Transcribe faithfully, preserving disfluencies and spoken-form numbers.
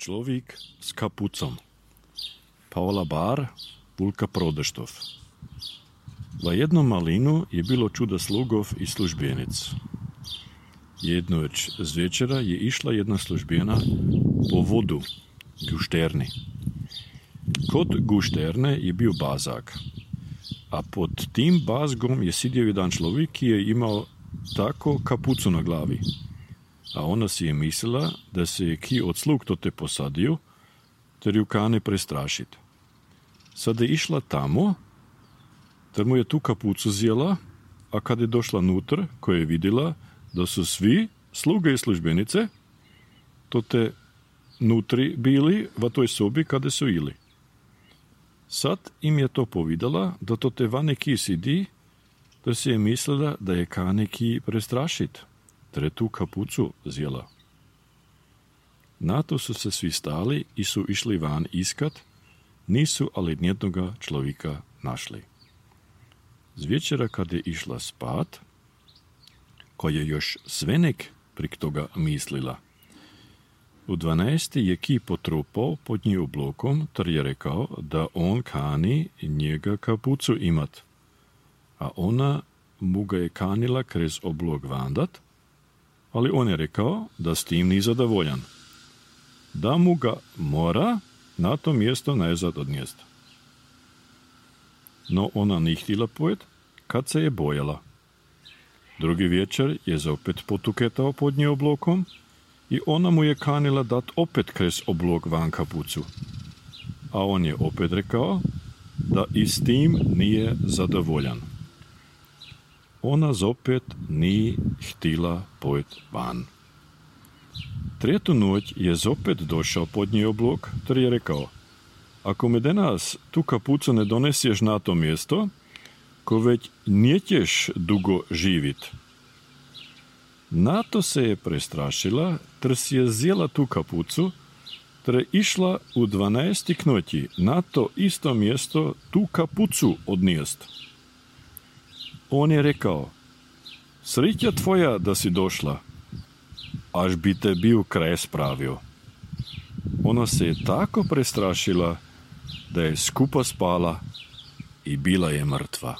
Človek s kapucom. Paola Bar, Vulka Prodeštov. V jednom malinu je bilo čuda slugov i službenic. Jednoć z večera je išla jedna službena po vodu, gušterni. Kod gušterne je bio bazak, a pod tim bazgom je sidio jedan človek, ki je imao tako kapucu na glavi. A ona si je mislila, da se je ki od slug to te posadio, ter ju kane prestrašit. Sada je išla tamo, ter mu je tu kapucu zjela, a kad je došla nutr, koja je vidjela da su svi sluge i službenice, to te nutri bili v toj sobi kada su ili. Sad im je to povidala, da to te va neki sidi, da si je mislila, da je ka neki prestrašit, ter je tu kapucu zjela. Na to su se svi stali i su išli van iskat, nisu ali nijednoga človeka našli. Z večera kad je išla spat, ko je još svenek prik toga mislila. U dvanaesti je ki potrupao pod nji oblokom, ter je rekao da on kani njega kapucu imat. A ona mu ga je kanila krez oblog vandat, ali on je rekao da s tim ni zadovoljan. Da mu ga mora na to mjesto nazad odnijest. No ona ni htjela pojet, kad se je bojala. Drugi večer je opet potuketao pod nje oblokom i ona mu je kanila dat opet krez oblog van kapucu. A on je opet rekao da i s tim nije zadovoljan. Ona zopet ni htjela pojet van. Tretu noć je zopet došao pod nje oblog, ter je rekao: ako me danas tu kapucu ne donesješ na to mjesto, ko već njećeš dugo živit. Na to se je prestrašila, ter si je zjela tu kapucu, ter je išla u dvanaesti knoti na to isto mjesto tu kapucu odnijest. On je rekao: srića tvoja da si došla, až bi te bio kraj spravio. Ona se je tako prestrašila, da je skupa spala i bila je mrtva.